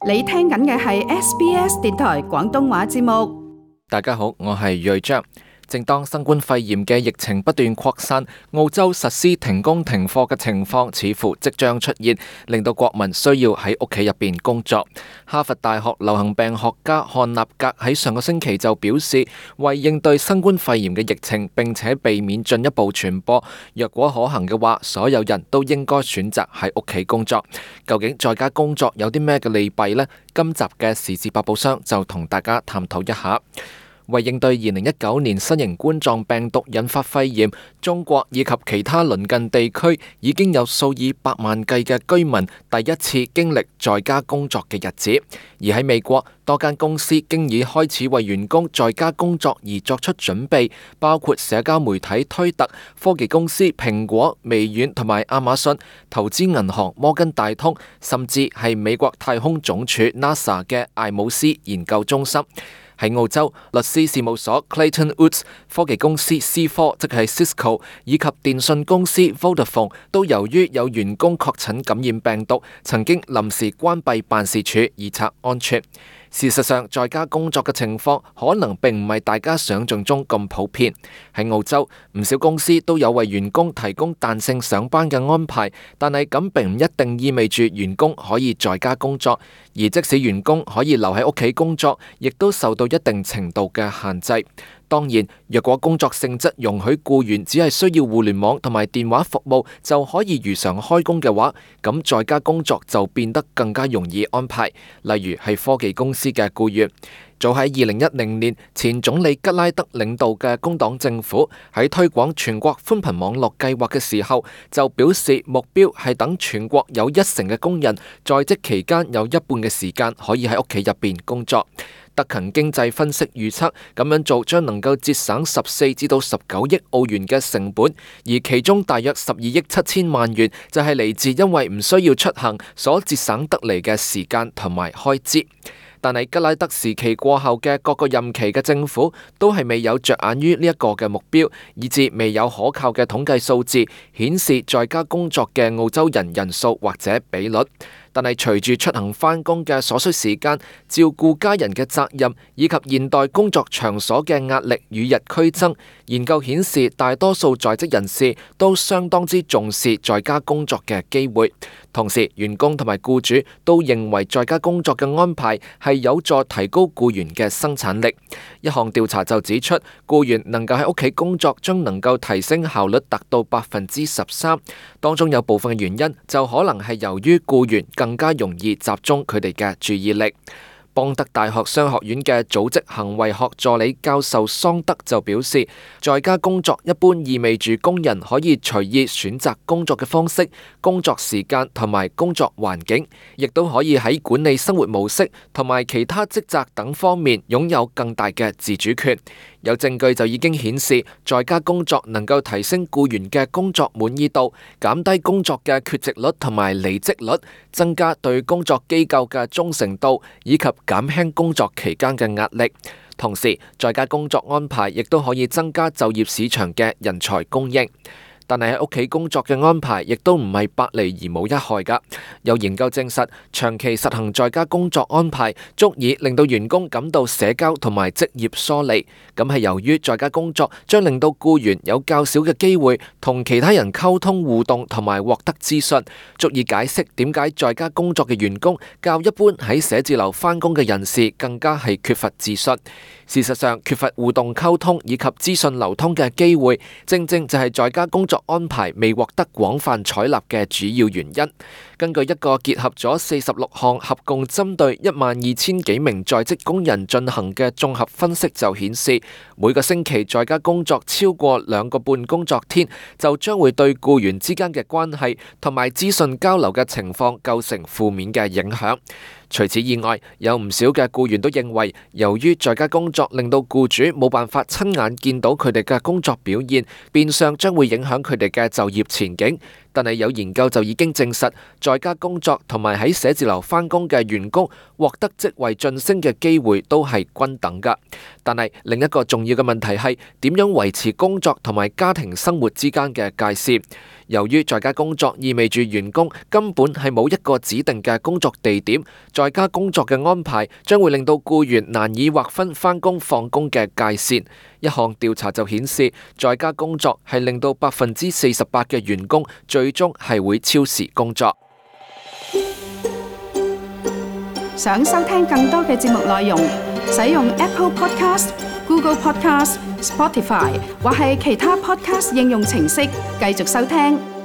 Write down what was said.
你聽緊嘅係 SBS 電台廣東話節目。大家好，我係瑞章。正當新冠肺炎嘅疫情不斷擴散，澳洲實施停工停課嘅情況似乎即將出現，令到國民需要喺屋企入邊工作。哈佛大學流行病學家漢納格喺上個星期就表示，為應對新冠肺炎嘅疫情，並且避免進一步傳播，若果可行嘅話，所有人都應該選擇喺屋企工作。究竟在家工作有啲咩嘅利弊呢？今集嘅時事百寶箱就同大家探討一下。為應對2019年新型冠狀病毒引發肺炎，中國以及其他鄰近地區已經有數以百萬計嘅居民第一次經歷在家工作嘅日子。而喺美國，多間公司經已開始為員工在家工作而作出準備，包括社交媒體推特、科技公司蘋果、微軟同埋亞馬遜、投資銀行摩根大通，甚至係美國太空總署 NASA 嘅艾姆斯研究中心。喺澳洲，律師事務所 Clayton Utz、科技公司 C4 即係 Cisco 以及電信公司 Vodafone 都由於有員工確診感染病毒，曾經臨時關閉辦事處以策安全。事實上，在家工作嘅情況可能並唔係大家想象中咁普遍。喺澳洲，唔少公司都有為員工提供彈性上班嘅安排，但係咁並唔一定意味住員工可以在家工作。而即使員工可以留喺屋企工作，亦都受到一定程度嘅限制。當然，若果工作性質容許僱員只係需要互聯網同埋電話服務就可以如常開工嘅話，咁在家工作就變得更加容易安排。例如係科技公司嘅僱員。早喺2010年，前總理吉拉德領導嘅工黨政府喺推廣全國寬頻網絡計劃嘅時候，就表示目標係等全國有1成嘅工人在職期間有一半嘅時間可以喺屋企入邊工作。德勤經濟分析預測，咁樣做將能夠節省14至到19億澳元嘅成本，而其中大約12億7千萬元就係嚟自因為唔需要出行所節省得嚟嘅時間同埋開支。但係吉拉德時期過後嘅各個任期嘅政府都係未有着眼於呢一個嘅目標，以致未有可靠嘅統計數字顯示在家工作嘅澳洲人人數或者比率。但係隨住出行返工嘅所需時間、照顧家人嘅責任以及現代工作場所嘅壓力與日俱增，研究顯示大多數在職人士都相當之重視在家工作嘅機會。同時，員工同埋僱主都認為在家工作嘅安排係有助提高僱員嘅生產力。一項調查就指出，僱員能夠喺屋企工作將能夠提升效率達到13%。當中有部分嘅原因就可能係由於僱員更加容易集中佢哋嘅注意力。邦德大學商學院嘅組織行為學助理教授桑德就表示，在家工作一般意味住工人可以隨意選擇工作嘅方式、工作時間同埋工作環境，亦都可以喺管理生活模式同埋其他職責等方面擁有更大嘅自主權。有證據就已經顯示，在家工作能夠提升僱員嘅工作滿意度，減低工作嘅缺席率同埋離職率，增加對工作機構嘅忠誠度，以及減輕工作期間嘅壓力。同時，在家工作安排亦都可以增加就業市場嘅人才供應。但係喺屋企工作嘅安排亦都唔係百利而無一害㗎。有研究證實，長期實行在家工作安排，足以令到員工感到社交同埋職業疏離。咁係由於在家工作將令到僱員有較少嘅機會同其他人溝通互動同埋獲得資訊，足以解釋點解在家工作嘅員工較一般喺寫字樓返工嘅人士更加係缺乏自信。事實上，缺乏互動溝通以及資訊流通嘅機會，正正就係在家工作安排未獲得廣泛採納嘅主要原因。根據一個結合咗46項合共針對12000幾名在職工人進行嘅綜合分析就顯示，每個星期在家工作超過2個半工作天，就將會對僱員之間嘅關係同埋資訊交流嘅情況構成負面嘅影響。除此以外，有唔少嘅僱員都認為，由於在家工作令到僱主冇辦法親眼見到佢哋嘅工作表現，變相將會影響佢哋嘅就業前景。但係有研究就已經證實，在家工作同埋喺寫字樓返工嘅員工獲得職位晉升嘅機會都係均等㗎。但係另一個重要嘅問題係點樣維持工作同埋家庭生活之間嘅界線。由於在家工作意味住員工根本係冇一個指定嘅工作地點，在家工作嘅安排將會令到僱員難以劃分返工放工嘅界線。一項調查就顯示，在家工作係令到48%嘅員工最終係會超時工作。想收聽更多嘅節目內容，使用 Apple Podcast、Google Podcast、Spotify 或係其他 Podcast 應用程式繼續收聽。